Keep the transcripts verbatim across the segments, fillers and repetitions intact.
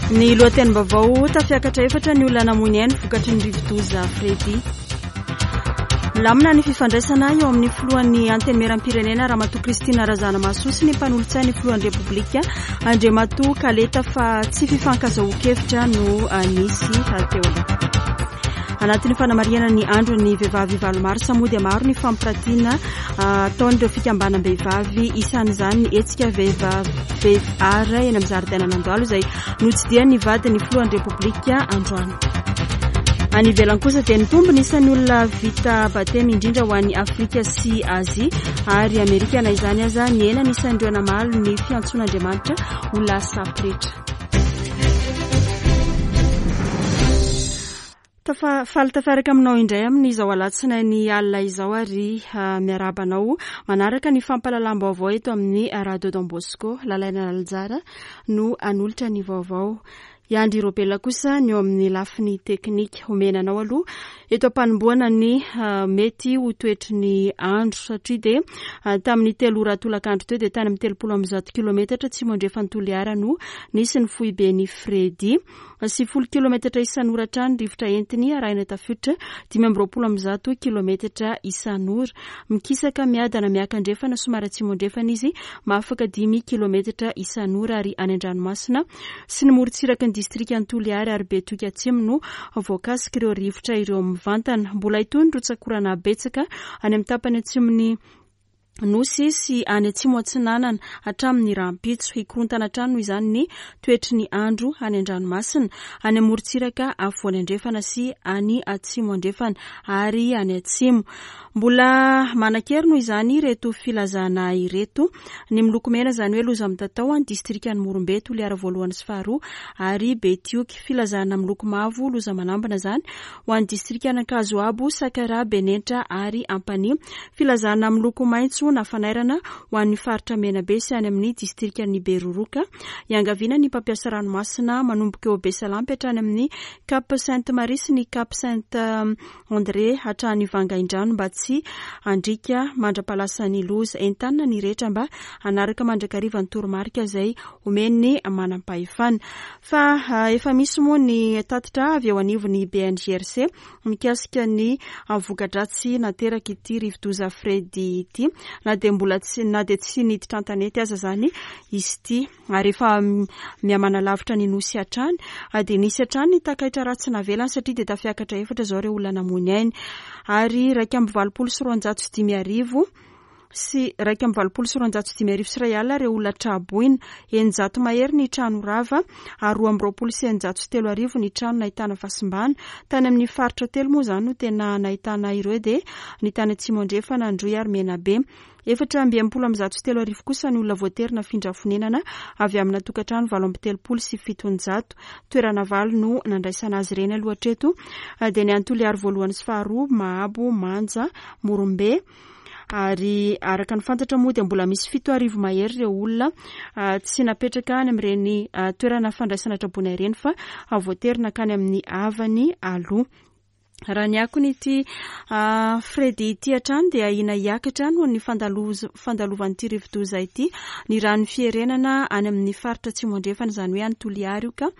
Ny lohatenim-baovao: tafiakatra efatra ny olona namoy ny ainy vokatry ny rivodoza Freddy. Milamina ny fifandraisana eo amin'ny filohan'ny Antenimieram-pirenena Ramatoa Christine Razanamahasoa sy ny mpanolotsain'ny filohan'ny Repoblika Andriamatoa Kaleta, fa tsy fifankazahoan-kevitra no nisy teo aloha. Anatin'ny fanamarihana ny andron'ny vehivavy valo marsa moa dia maro ny fampiratiana ataon'ireo fikambanam-behivavy, isan'izany ny hetsika vehivavy V R eny amin'ny zaridainan'Andohalo izay notsidihan'ny vadin'ny filohan'ny Repoblika androany. Any ivelany kosa dia nitombo ny isan'ny olona vita batemy, indrindra ho an'ny Afrika sy Azia ary Amerika. Na izany aza, nihena ny isan'ireo namaly ny fiantsoan'Andriamanitra ho lasa pretra. Tafa faly tafiaraka aminao indray amin'izao alatsinainy alina izao ary miarahaba anao manaraka ny fampahalalam-baovao eto amin'ny Radio Don Bosco. Lalaina Laljara no anolotra ny vaovao. Iandry Robela kosa ny eo amin'ny lafiny teknika. Omena anao aloha eto am-panombohana ny mety ho toetry ny andro, satria dia tamin'ny telo ora tolakandro teo dia tany amin'ny telopolo amby zato kilometatra atsimo andrefan'i Toliara no nisy ny foiben'i Freddy. Sivifolo kilometatra isan'ora hatrany rivotra entiny, arahina tafiotra dimy amby roapolo amby zato kilometatra isan'ora. Mikisaka miadana miakandrefana somary atsimo andrefana izy, mahafaka dimy kilometatra isan'ora, ary any an-dranomasina sy ny morontsiraky ny distrikan'i Toliary ary Betioky Atsimo no voakasika ireo rivotra ireo mivantana. Mbola hitohy ny rotsak'orana betsaka any amin'ny tapany atsimon'ny nosy sy any atsimo atsinanana hatramin'ny rahampitso. Hikorontana hatrany noho izany ny toetry ny andro any an-dranomasina, any amorontsiraka afovoany andrefana sy any atsimo andrefana ary any atsimo. Mbola manan-kery noho izany ireto filazana ireto: ny miloko mena, izany hoe loza mitatao, any distrikan'i Morombe, Toliara voalohany sy faharoa ary Betioky. Filazana miloko mavo, loza manambina izany, ho an'ny distrikan'Ankazoabo, Sakaraha, Benenitra ary Ampanihy. Filazana miloko maitso na fanairana ho an'ny faritra Menabe sy any amin'ny distrikan'i Beroroka. Iangaviana ny mpampiasa ranomasina manomboka eo Besalampy hatrany amin'ny Cap Sainte Marie sy ny Cap Saint André hatrany Vangaindrano mba tsy handrika mandra-palasan'ny loza. Entanina ny rehetra mba hanaraka mandrakariva ny toromarika izay omen'ny manam-pahefana. Fa efa misy moa ny tatitra avy eo anivon'ny B N G R C mikasika ny voka-dratsy nateraka ity rivodoza Freddy ity, na dia mbola tsy na dia tsy niditra an-tanety aza zany izy ity ary efa mihamanalavitra ny nosy hatrany, dia nisy hatrany ny takaitra ratsy navelany, satria dia tafiakatra efatra izao ireo olona namoy ny ainy ary raika amby valopolo sy roanjato sy dimy arivo sy raika amby valopolo sy roanjato sy dimy arivo sy iray alina ireo olona traboina, eninjato mahery ny trano rava ary roa amby roapolo sy eninjato sy telo arivo ny trano nahitana fahasimbana. Tany amin'ny faritra telo moa izany no tena nahitana ireo, dia ny tany Atsimo Andrefana, Androy ary Menabe. Efatra amby enimpolo amby zato sy telo arivo kosa ny olona voatery nafindra fonenana avy amina tokantrano valo amby telopolo sy fitonjato. Toerana valo no nandraisana azy ireny aloha hatreto, dia ny any Toliary voalohany sy faharoa, Mahabo, Manja, Morombe. Ary araka ny fantatra moa dia mbola misy fito arivo mahery ireo olona tsy napetraka any amin'ireny toerana fandraisana traboina ireny fa voatery nakany amin'ny havany aloha. Raha ny akony ity Freddy ity hatrany dia ahiana hiakatra noho ny fandalovan'ity rivodoza ity ny rano Fierenana any amin'ny faritra atsimo andrefana, izany hoe any Toliary io, ka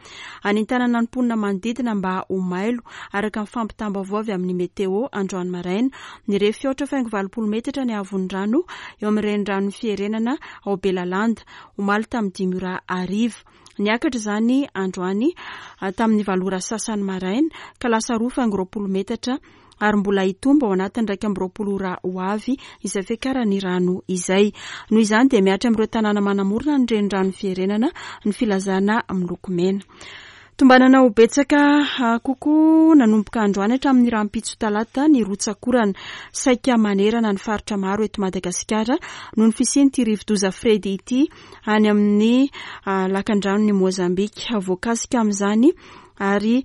anentanana ny mponina manodidina mba ho mailo. Araka ny fampitam-baovao avy amin'ny météo androany maraina, nirefy aotra faingo valopolo metatra ny haavon'ny rano eo amin'ny renirano Fierenana ao Belalanda omaly tamin'ny dimy ora hariva. Niakatra izany androany tamin'ny valo ora sasany maraina ka lasa roa faingo roapolo metatra, ary mbola hitombo ao anatin'ny raika amby roapolo ora ho avy izay fiakaran'ny rano izay. Noho izany dia mihatra amin'ireo tanàna manamorona ny renirano Fierenana ny filazana miloko mena. Tombanana ho betsaka kokoa nanomboka androany hatramin'ny rahampitso talata ny rotsakorana saika manerana ny faritra maro eto Madagasikara noho ny fisian'ity rivodoza Freddy ity any amin'ny lakandranon'i Mozambika. Voakasika amin'izany ary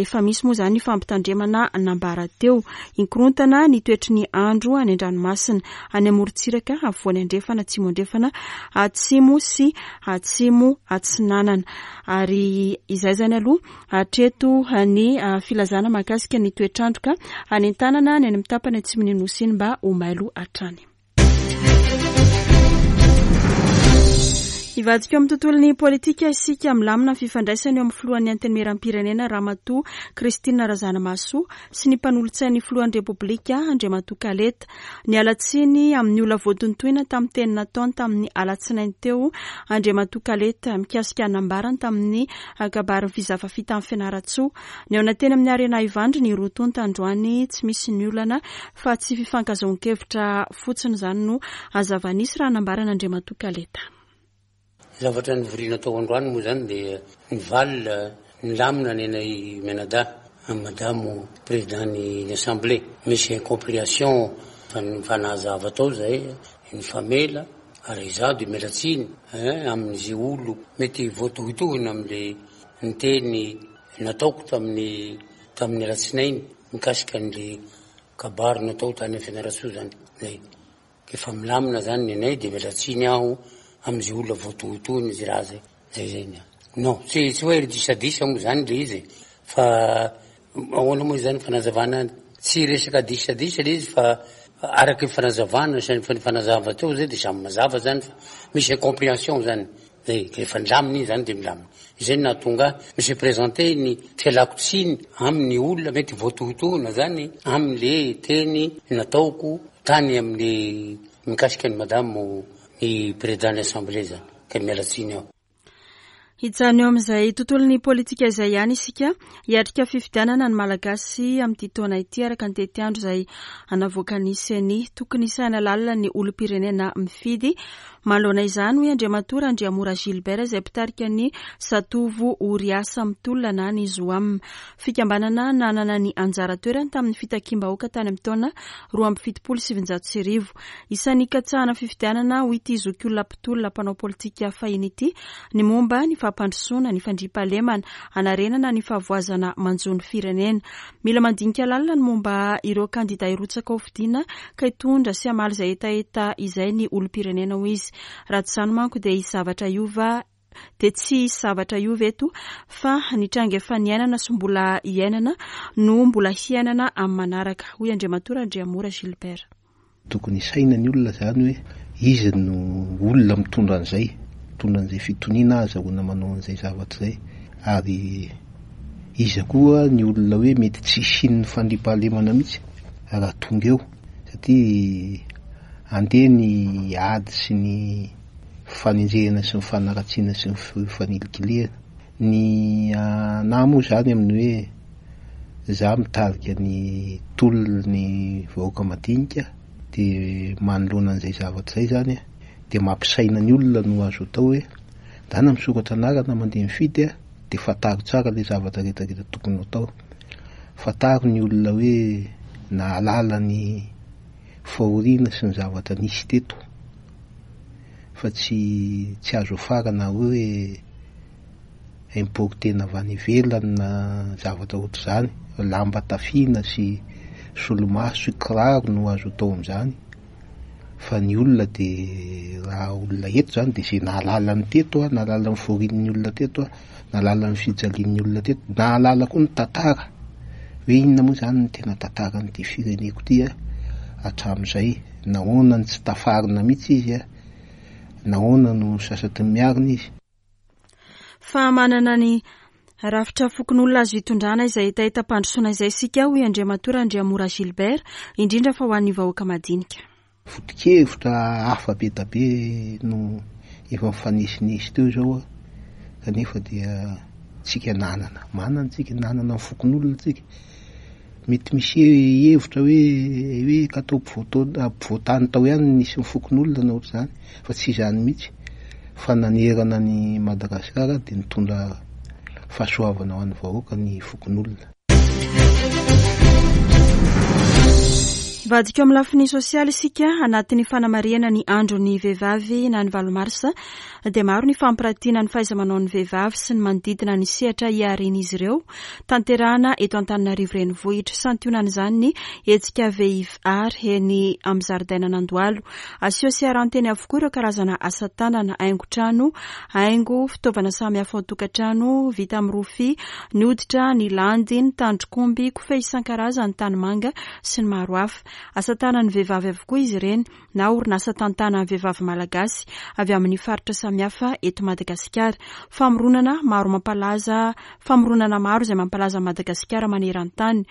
efa misy moa izany ny fampitandremana nambara teo. Hikorontana ny toetry ny andro any an-dranomasina, any amorontsiraka afovoany andrefana, atsimo andrefana, atsimo sy atsimo atsinanana. Ary izay zany aloha hatreto ny filazana mahakasika ny toetrandro, ka anentanana ny any amin'ny tapany atsimon'ny nosy iny mba ho mailo hatrany. Hivadika eo amin'ny tontolon'ny politika isika. Milamina ny fifandraisana eo amin'ny filohan'ny Antenimieram-pirenena Ramatoa Christine Razanamahasoa sy ny mpanolotsain'ny filohan'ny Repoblika Andriamatoa Kaleta. Niala tsiny amin'ny olona voatontoina tamin'ny teny nataony tamin'ny alatsinainy teo Andriamatoa Kaleta mikasika nambarany tamin'ny kabarin'ny Fizafa tamin'ny Fianarantsoa. Nihaona teny amin'ny Arena Ivandry ny roa tonta androany, tsy misy ny olana fa tsy fifankazahoan-kevitra fotsiny izany no zava-nisy raha nambarana Andriamatoa Kaleta. Zavatra nivoriana tao androany moa zany dia nivalina nilamina ny anay mianadahy amin'ny madamo président ny assemblée. Misy incompréhension fa nifanazava tao zay, nifamela, ary izaho de miala tsiny amin'izay olo mety voatohitohina am'le niteny nataoko tamin'ny tamin'ny alatsinainy mikasika an'le kabary natao tany amin'ny Fianarantsoa zany. Zay efa milamina zany ny anay, de miala tsiny aho am'izay olona voatohitohina izy raha zay zay zay ny non tsy tsy hoe disadisa moa zany le izy, fa ahoana moa zany fanazavana, tsy resaka disadisa le izy, fa araky ny fanazavana sy ny fanazava teo zay de samy mazava zany, fa misy incompréhension zany zay, rehefa nilamina iny zany de milamina. Izay no nahatonga misy présenter ny fialako tsiny amin'ny olona mety voatohitohina zany am'le teny nataoko tany amin'ny mikasika ny madamo ny président ny assemblée zany, ka miala tsiny aho. Hijanona eo amin'izay tontolon'ny politika izay ihany isika. Hiatrika fifidianana ny Malagasy amin'ity taona ity araka ny tetiandro izay navoakan'ny C E N I. Tokony hisaina lalina ny olom-pirenena mifidy manoloana izany, hoy Andriamatoa Randriamora Gilbert, izay mpitarika ny Zatovo Oriasa Mitolona na ny Zoam, fikambanana nanana ny anjara toerany tamin'ny fitakiam-bahoaka tany amin'ny taona roa amby fitopolo sy sivinjato sy arivo. Isan'ny katsahana fifidianana, hoy ity zokiolona mpitolona mpanao politika fahiny ity, ny momba ny fampandrosoana ny fandriampahalemana, anarenana ny fahavoazana manjo ny firenena. Mila mandinika lalina ny momba ireo kandida hirotsaka ho fidiana ka hitondra sy hamaly izay hetaheta izay ny olom-pirenena, hoy izy. Raha tsy izany manko dia hisy zavatra hiova dia tsy hisy zavatra hiova eto, fa ny tranga efa niainana sy mbola iainana no mbola hiainana amin'ny manaraka, hoy Andriamatoa Randriamora Gilbert. Tokony hisaina ny olona zany hoe izy no olona mitondra an'izay mitondra an'izay fitoniana azahoana manao an'izay zavatra izay, ary iza koa ny olona hoe mety tsy hisian'ny fandriampahalemana mihitsy raha tonga eo, satria andeha ny ady sy ny fanenjehana sy ny fanaratsiana sy ny fanilikilihana ny ana moa zany amin'ny hoe za mitarika ny tolona ny vahoaka madinika. De manoloana an'izay zavatra zay zany a de mampisaina ny olona no azo atao hoe dana misoratra anarana mandeha mifidy a de fantaro tsara le zavatra rehetrarehetra tokony ho atao. Fantaro ny olona hoe nahalala ny fahoriana sy ny zavatra nisy teto, fa tsy tsy azo afarana hoe importena avy any ivelany na zavatra ohatr' izany. Lamba tafiana sy solomaso sy kiraro no azo atao am'izany, fa ny olona de raha olona eto zany de zay nahalala ny teto a nahalala ny fahorian'ny olona teto a nahalala ny fijalian'ny olona teto, nahalala koa ny tantara hoe inona moa zany ny tena tantaran'ity fireneko ty a hatramin'izay, nahoana ny tsy tafarina mihitsy izy a nahoana no sasatry ny miarina izy. Fa manana ny rafitra fokonolona azo hitondrana izay hetahetam-pandrosoana izay isika, hoy Andriamatoa Randriamora Gilbert, indrindra fa ho an'ny vahoaka madinika. Foto-kevitra hafa be da be no efa mifanesinesy teo zao a kanefa dia tsika nanana manana tsika nanana ny fokonolona tsika. Mety misy hevitra hoe hoe ka atao ampovoatao ampovoantany tao ihany nisy ny fokonolona na ohatr'izany, fa tsy izany mihitsy, fa nanerana ny Madagasikara de nitondra fahasoavana ho an'ny vahoaka ny fokonolona. Vadika amin'ny lafiny sosialy isika. Anatin'ny fanamarihana ny andro ny vehivavy na ny valo marsa dia maro ny fampiratiana ny fahaiza-manao ny vehivavy sy ny manodidina ny sehatra iharen'izy ireo tanterahana eto Antananarivo renivohitra. Santionan'izany ny hetsika vehivary eny amin'ny zaridainan'Andohalo. Aseho sy aranteny avokoa ireo karazana asa tanana, haingo trano, haingo fitaovana samihafa ao an-tokantrano vita amin'ny rofia, ny hoditra, ny landy, ny tandrok'omby, kofehy isan-karazany, tanimanga sy ny maro hafa. Asa tanan'ny vehivavy avokoa izy ireny na orinasa tantanan'ny vehivavy malagasy avy amin'ny faritra samihafa. samihafa eto Madagasikara. Famoronana maro mampalaza, famoronana maro izay mampalaza Madagasikara maneran-tany.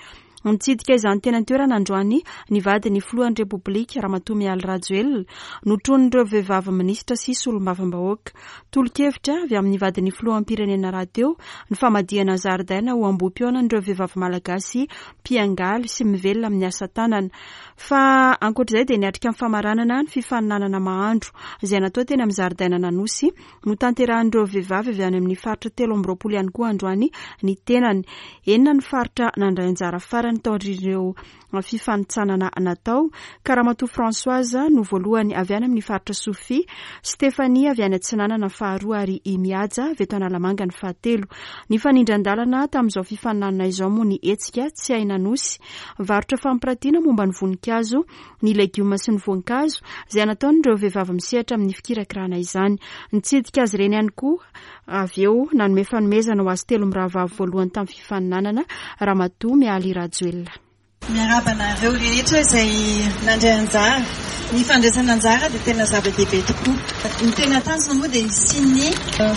Nitsidika izany teny an-toerana androany ny vadin'ny filohan'ny Repoblika Ramatoa Mialy Rajoelina, notronin'ireo vehivavy minisitra sy solombavambahoaka. Tolo-kevitra avy amin'ny vadin'ny filoham-pirenena rahateo ny famadihana zaridaina ho ambohi-pihaonan'ireo vehivavy malagasy mpiangaly sy mivelona amin'ny asa tanana. Fa ankoatr'izay dia niatrika ny famaranana ny fifaninanana mahandro izay natao teny amin'ny zaridaina Nanosy, notanterahan'ireo vehivavy avy any amin'ny faritra telo amby roapolo ihany koa androany ny tenany. Enina ny faritra nandray anjara farany taorian'ireo fifanintsanana natao, ka Ramatoa Françoise no voalohany avy any amin'ny faritra Sofia, Stéphanie avy any Atsinanana faharoa ary i Mihaja avy eto Analamanga ny fahatelo. Nifanindran-dalana tamin'izao fifaninanana izao moa ny hetsika Tsy Hay Nanosy, varotra fampiratiana momba ny voninkazo, ny legioma sy ny voankazo izay nataon'ireo vehivavy misehatra amin'ny fikirakirana izany. Nitsidika azy ireny ihany koa avy eo nanome fanomezana ho azy telo mirahavavy voalohany tamin'ny fifaninanana Ramatoa Mialy Rajoelina. Miarahaba anareo rehetra izay nandray anjara. Ny fandraisana anjara dia tena zava-dehibe tokoa. Ny tena tanjona moa dia hisian'ny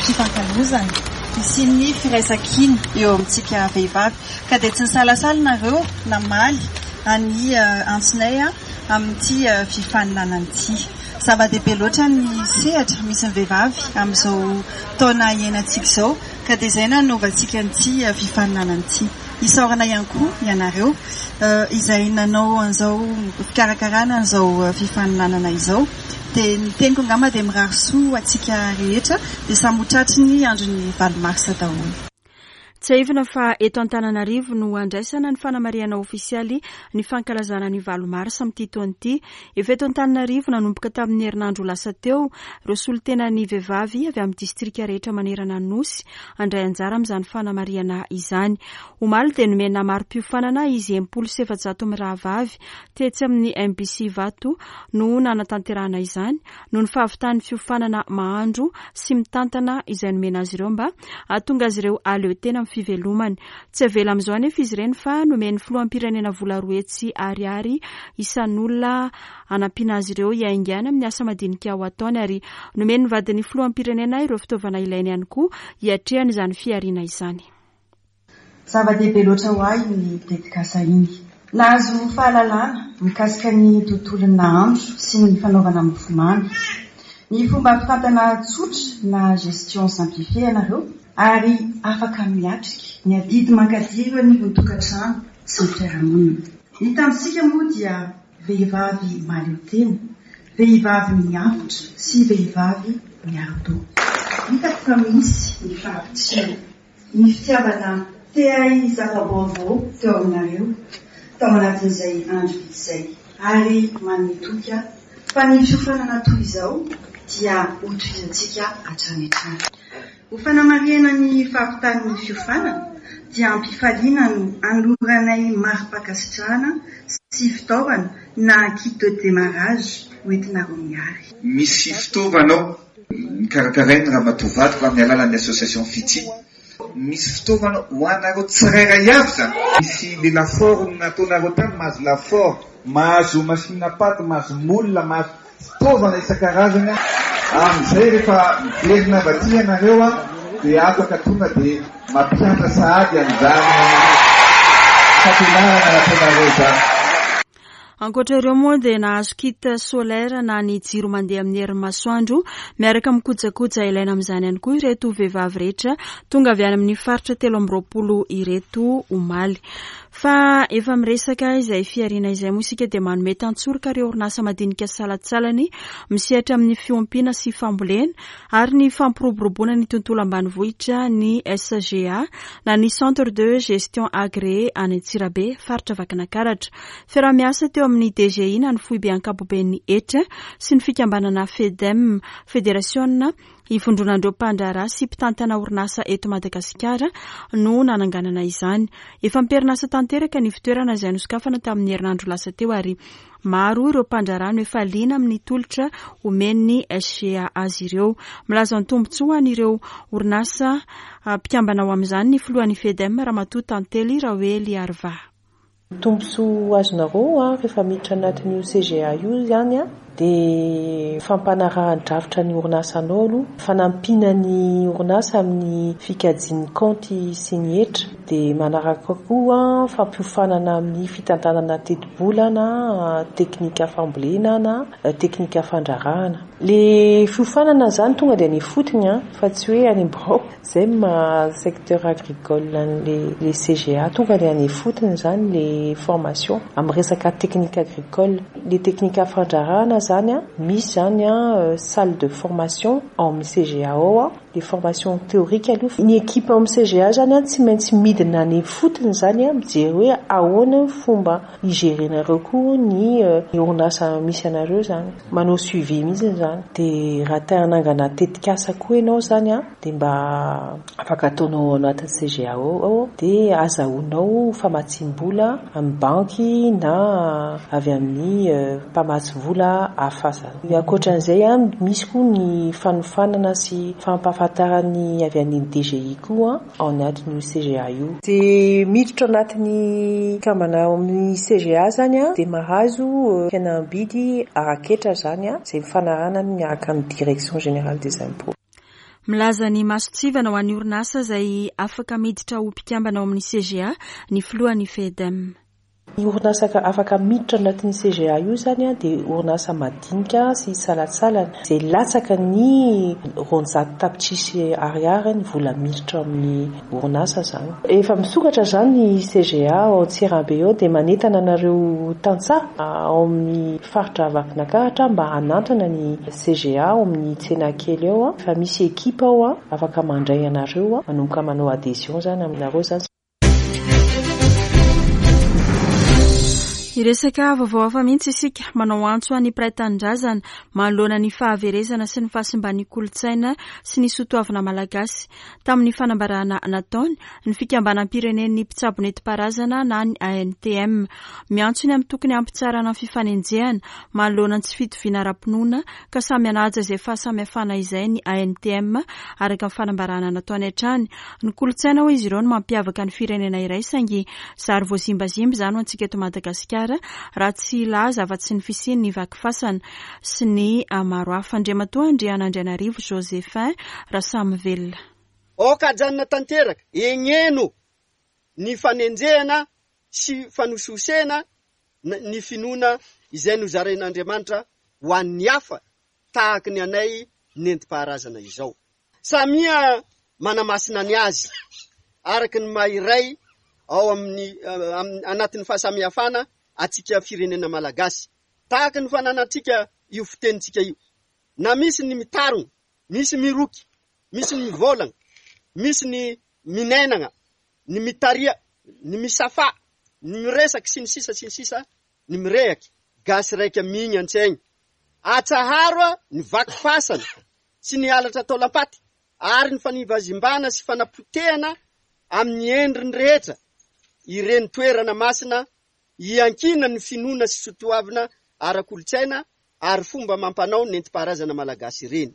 fifankalozana, hisian'ny firaisankina eo amintsika vehivavy. Ka dia tsy nisalasala nareo namaly any antsonay amin'ity fifaninanana ity. Zava-dehibe loatra ny sehatra misy ny vehivavy amin'izao taona iainantsika izao, ka dia izay nanaovantsika an'ity fifaninanana ity. Isaorana ihany koa ianareo izay nanao an'izao fikarakarana an'izao fifaninanana izao. Dia ny teniko angamba dia mirary soa antsika rehetra, dia samy ho tratry ny andron'ny valo marsa daholo. Tsiahivina fa eto Antananarivo no andraisana ny fanamarihana ofisialy ny fankalazana ny valo marsa amin'ity taona ity. Efa eto Antananarivo nanomboka tamin'ny herinandro lasa teo ireo solontenan'ny vehivavy avy amin'ny distrika rehetra manerana ny Nosy handray anjara amin'izany fanamarihana izany. Omaly dia nomena mari-piofanana izy enimpolo sy efajato mirahavavy tetsy amin'ny M B C Ivato no nanatanterahana izany noho ny fahavitan'ny fiofanana mahandro sy mitantana izay nomena azy ireo mba hahatonga azy ireo hahaleo tena amin'ny fivelomany. Tsy avela amin'izao anefa izy ireny fa nomen'ny filoham-pirenena vola roa hetsy ariary isan'olona hanampiana azy ireo hiaingana amin'ny asa madinika ho ataony, ary nomen'ny vadin'ny filoham-pirenena ireo fitaovana ilainy ihany koa hiatrehana izany fihariana izany. Zava-dehibe loatra ho ahy ny tetikasa iny. Nahazo fahalalana mikasika ny tontolon'ny nahandro sy ny fanaovana mofomamy, ny fomba fitantana tsotra na gestion simplifiée ianareo, ary afaka miatrika ny adidy mankadiry eo anivon'ny tokantrano sy ny fiarahamonina. Ny tanjontsika moa dia vehivavy mahaleo tena, vehivavy miavotra sy vehivavy miaro-doha. Hitako fa misy ny fahavitrihana, ny fitiavana te hahay zava-baovao teo aminareo tao anatin'izay andro vitsy izay, ary manome toky aho fa ny fiofanana toy izao dia hotohizantsika hatrany hatrany. Ho fanamarihana ny fahavitan'ny fiofanana dia ampifaliana no anoloranay mari-pankasitrahana sy fitaovana na kit de démarrage hoentinareo miary. Misy fitaovana ao nikarakarainy Ramatoa vadiko amin'ny alalan'ny association Fiti. Misy fitaovana ho anareo tsirairay avy zany. Misy le lafaoro nataonareo tany, mahazo lafaoro, mahazo machine à pâte, mahazo moule, mahazo fitaovana isan-karazany. Amin'izay rehefa miverina avy aty ianareo a, dia afaka tonga dia mampianatra sahady an'izany fampianarana nataonareo izany. Ankoatra ireo moa dia nahazo kit solaire na ny jiro mandeha amin'ny herin'ny masoandro miaraka amin'ny kojakoja ilaina amin'izany ihany koa ireto vehivavy rehetra tonga avy any amin'ny faritra telo amby roapolo ireto omaly. Fa efa miresaka izay fihariana izay moa isika dia manome tantsoroka ireo orinasa madinika salantsalany misehatra amin'ny fiompiana sy fambolena ary ny fampiroboroboana ny tontolo ambanivohitra ny S G A na ny Centre de Gestion Agréé any Antsirabe, faritra Vakinankaratra. Fiaraha-miasa teo amin'ny D G I na ny foibe ankapoben'ny hetra sy ny fikambanana FEDEM, Federasiona ivondronan'ireo mpandraharaha sy mpitantana orinasa eto Madagasikara no nananganana izany. Efa miperinasa tanteraka ny fitoerana izay nosokafana tamin'ny herinandro lasa teo, ary maro ireo mpandraharaha no efa liana amin'ny tolotra omen'ny S G A azy ireo. Milaza ny tombontsoa an'ireo orinasa mpikambana ao amin'izany ny filohan'ny FEDEM Ramatoa Tantely Raoely Arva. Tombontsoa azonareo a, rehefa miditra anatin'io C G A io izany a, Dia fampanarahan-drafitra ny orinasanao aloha, fanampiana ny orinasa amin'ny fikajian'ny kaonty sy ny hetra, dia manaraka koa fampiofanana amin'ny fitantanana tetibola na teknika fambolena na teknika fandraharahana. Le fiofanana zany tonga dia any ifotony a, fa tsy hoe any birao. Zay maha secteur agricole le le C G A, tonga dia any ifotony zany le formation amin'ny resaka technique agricole. Le teknika fandraharahana zany a, misy zany a salle de formation ao amin'ny C G A ao a, le formation théorique aloha. Ny équipe ao amin'ny C G A zany a tsy maintsy midina any ifotony zany a, mijery hoe ahoana fomba igerenareo koa ny orinasa misy anareo zany, manao suivi mihitsy zany. Dia raha te hanangana tetikasa koa ianao zany a, dia mba afaka ataonao ao anatin'ny C G A ao, dia azahoanao famatsim-bola amin'ny banky na avy amin'ny mpamatsy vola hafa zany. Ankoatran'izay a, misy koa ny fanofanana sy fampahafantarany avy any D G I koa ao anatin'io C G A io. Dia miditra anatin'ny kambana ao amin'ny C G A zany a, dia mahazo fihenam-bidy ara-ketra zany a, izay mifanarahana miaraka amin'ny Direction générale des impôts. Milaza ny mason-tsivana ho an'ny orinasa izay afaka miditra ho mpikambana ao amin'ny C G A ny filohan'ny FEDEM. Ny orinasa afaka miditra anatin'ny C G A io zany a, dia orinasa madinika sy salantsalana izay latsaka ny roanjato tapitrisa ariary ny vola miditra amin'ny orinasa zany. Efa misokatra zany ny C G A ao Antsirabe eo, dia manentana anareo tantsaha ao amin'ny faritra Vakinankaratra mba hanantona ny C G A ao amin'ny tsena kely eo a, fa misy ekipa ao a, afaka mandray anareo a, manomboka manao adhésion zany aminareo zany. Hiresaka vaovao hafa mihitsy isika. Manao antso any mpiray tanindrazana manoloana ny fahaverezana sy ny fahasimban'ny kolontsaina sy ny soatoavina malagasy tamin'ny fanambarana nataony ny fikambanam-pirenen'ny mpitsabo nentim-paharazana na ny A N T M. Miantso ny amin'ny tokony hampitsaharana ny fifanenjehana manoloana ny tsy fitoviana ara-pinoana ka samy anaja izay fahasamihafana izay ny A N T M, araka ny fanambarana nataony hatrany. Ny kolontsaina, hoy izy ireo, no mampiavaka ny firenena iray, saingy zary voazimbazimba izany ho antsika eto Madagasikara, raha tsy laza afa-tsy ny fisiany ny vaky fasana sy ny maro hafa. Andriamatoa Andrianandrianarivo Josephin raha samy velona. Aoka ajanona tanteraka egneno ny fanenjehana sy fanososena ny finoana izay nozarain'Andriamanitra ho an'ny hafa tahaky ny anay nentim-paharazana izao. Samia manamasina ny azy araky ny mahiray ao amin'ny anatin'ny fahasamihafana atsika firenena malagasy, tahaky ny fananantsika io fitenintsika io, na misy ny mitarona, misy miroky, misy ny mivolagna, misy ny minainana, ny mitaria, ny misafa, ny miresaky sy ny sisa sy ny sisa, ny mirehaky gasy raika migny an-tsaigny. Atsaharo a ny vaky fasana sy ny halatra taolam-paty ary ny fanivazimbana sy fanapotehana amin'ny endriny rehetra ireny toerana masina iankina ny finoana sy soatoavina ara-kolontsaina ary fomba mampanao nentim-paharazana malagasy ireny.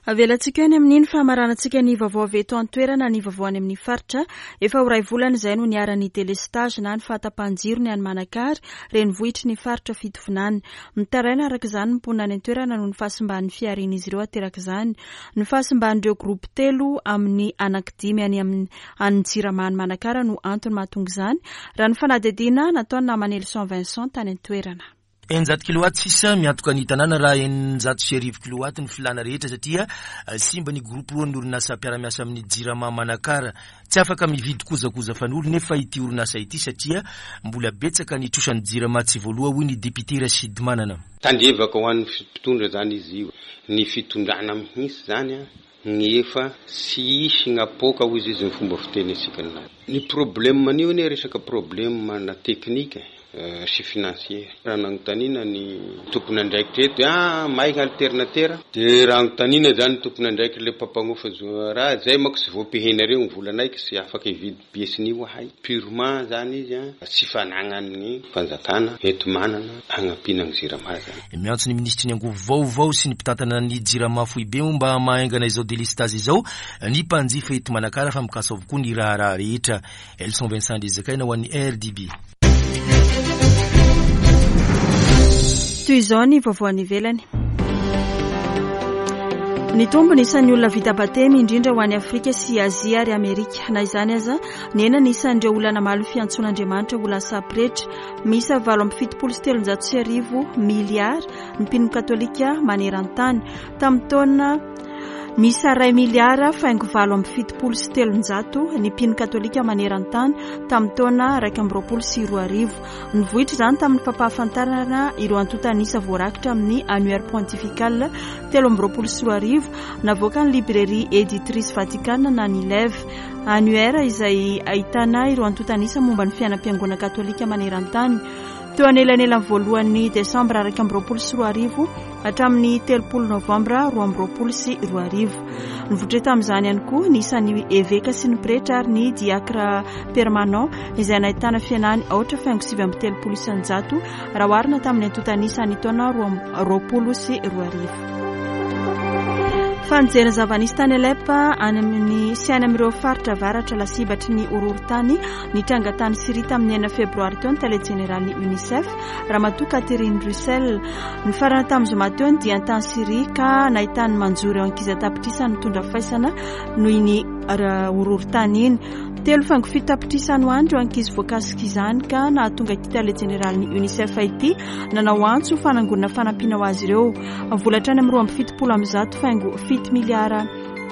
Avelantsika eny amin'iny famaranantsika ny vaovao avy eto an-toerana ny vaovao any amin'ny faritra. Efa ho ray volana izay no niharan'ny délestage na ny fahatapahan-jiro ny any Manakary, renivohitry ny faritra Fitovinany. Mitaraina araka izany ny mponina any an-toerana noho ny fahasimban'ny fiharian'izy ireo ateraka izany. Ny fahasimban'ireo groupe telo amin'ny anankidimy any amin'ny an'ny Jirama any Manakara no antony mahatonga izany, raha ny fanadihadiana nataony namanelison Vincent tany an-toerana. Eninjato kilowatt sisa miantoka ny tanàna raha eninjato sy arivo kilowatt ny filana rehetra, satria eh, simba ny groupe roa ny orinasa mpiara-miasa amin'ny Jirama Manakara. Tsy afaka mividy kojakoja fanolo nefa ity orinasa ity, satria mbola betsaka ny trosan'ny Jirama tsy voaloa, hoy ny député Rachid Manana. Tandrevaka ho an'ny mpitondra zany izy io, ny fitondrana mihitsy zany a, ny efa sy isy gnapoka hoy izy izy ny fomba fiteny atsika. Ny problème an'io anie resaka problème na technique euh, sy financier. Raha nanotanina ny tompony andraikitra eto, ah, may ny alternateur, de raha anotanina zany tompony andraikitra le mpampagnofa raha zay manko tsy voapehenareo ny volanay, tsy afaka hividy pièce-n'io ahay. Purement zany izy a, tsy fanagnan'ny fanjakana eto manana agnampiana ny Jirama zany. Miantso ny ministry ny angovo vaovao sy ny mpitantana ny Jirama foibe mba mahaingana izao délestage izao ny mpanjifa eto Manakara, fa mikasa avokoa ny raharaha rehetra. Elson Vincent Dezakaina ho an'ny R D B. Toy izao ny vaovao any ivelany. Nitombo ny isan'ny olona vita batemy, indrindra ho any Afrika sy Azia ary Amerika. Na izany aza, nihena ny isan'ireo olona namaly ny fiantsoan'Andriamanitra ho lasa pretra. Miisa valo amby fitopolo sy telonjato sy arivo miliara ny mpino katolika maneran-tany. Tamin'ny taona miisa iray miliara faingo valo amby fitopolo sy telonjato ny mpino katolika maneran-tany tamin'ny taona iraika amby roapolo sy roa arivo. Nivoitra izany tamin'ny fampahafantarana ireo antontan'isa voarakitra amin'ny Annuaire Pontifical telo amby roapolo sy roa arivo navoaka ny Librairie Éditrice Vaticana na ny L E V. Annuaire izay ahitana ireo antontan'isa momba ny fiainam-piangonana katolika maneran-tany. Teo anelanelan'ny voalohan'ny desambra iraika amby roapolo sy roa arivo hatramin'ny telopolo novambra roa amby roapolo sy roa arivo. Nivoitra tamin'izany ihany koa ny isan'ny eveka sy ny pretra ary ny diakra permanent izay nahitana fihenany aotra faingo sivy amby telopolo isan-jato raha oharina tamin'ny antontan'isa ny taona roa amby roapolo sy roa arivo. Fa nijery ny zava-nisy tany Alep any amin'ny sy any amin'ireo faritra avaratra lasibatry ny horohorontany nitranga tany Syria tamin'ny enina febroary teo ny tale jeneralin'ny UNICEF Ramatoa Catherine Russell. Nifarana tamin'ny zoma teo ny diany tany Syria ka nahitany manjo ireo ankizy an-tapitrisa nitondra faisana noho iny horohorontany iny. Telo faingo fito tapitrisa no any ireo ankizy voakasika izany ka nahatonga ity tale jeneralin'ny UNICEF ity nanao antso fanangonana fanampiana ho azy ireo. Vola hatrany amin'ny roa amby fitopolo amby zato faingo fito miliara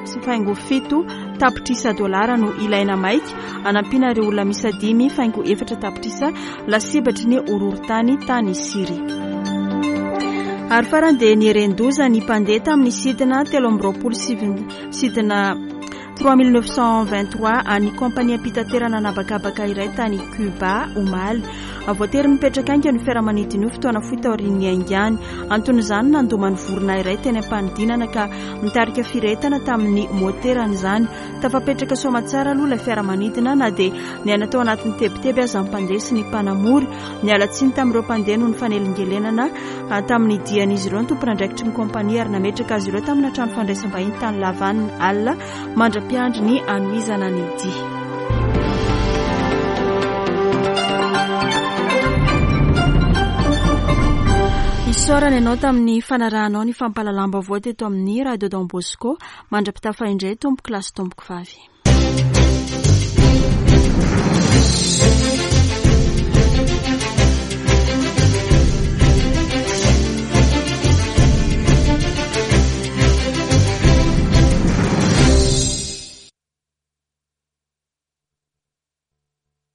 sy faingo fito tapitrisa dolara no ilaina maika anampiana ireo olona miisa dimy faingo efatra tapitrisa lasibatry ny horohorontany tany Syria. Ary farany dia nieren-doza ny mpandeha tamin'ny sidina telo amby roapolo sivy sidina trois mille neuf cent vingt-trois an'ny kompaniam-pitaterana an'habakabaka iray tany Cuba omaly. Voatery nipetraka haingana ny fiaramanidina io fotoana fohy taorian'ny niaingany. Anton'izany nandoma ny vorona iray teny am-panidinana ka nitarika firehetana tamin'ny moterany izany. Tafapetraka soamatsara aloha ilay fiaramanidina na dia niaina tao anatin'ny tebiteby aza ny mpandeha sy ny mpanamory. Niala tsiny tamin'ireo mpandeha noho ny fanelingelenana tamin'ny dian'izy ireo ny tompon'andraikitry ny kompania ary nametraka azy ireo tamina trano fandraisam-bahiny tany La Havane alina mandra-piandry ny hanohizana ny dia. Isaorana ianao tamin'ny fanarahanao ny fampahalalam-baovao teto amin'ny Radio Don Bosco. Mandra-pitafa indray tompoko lahy sy tompoko vavy.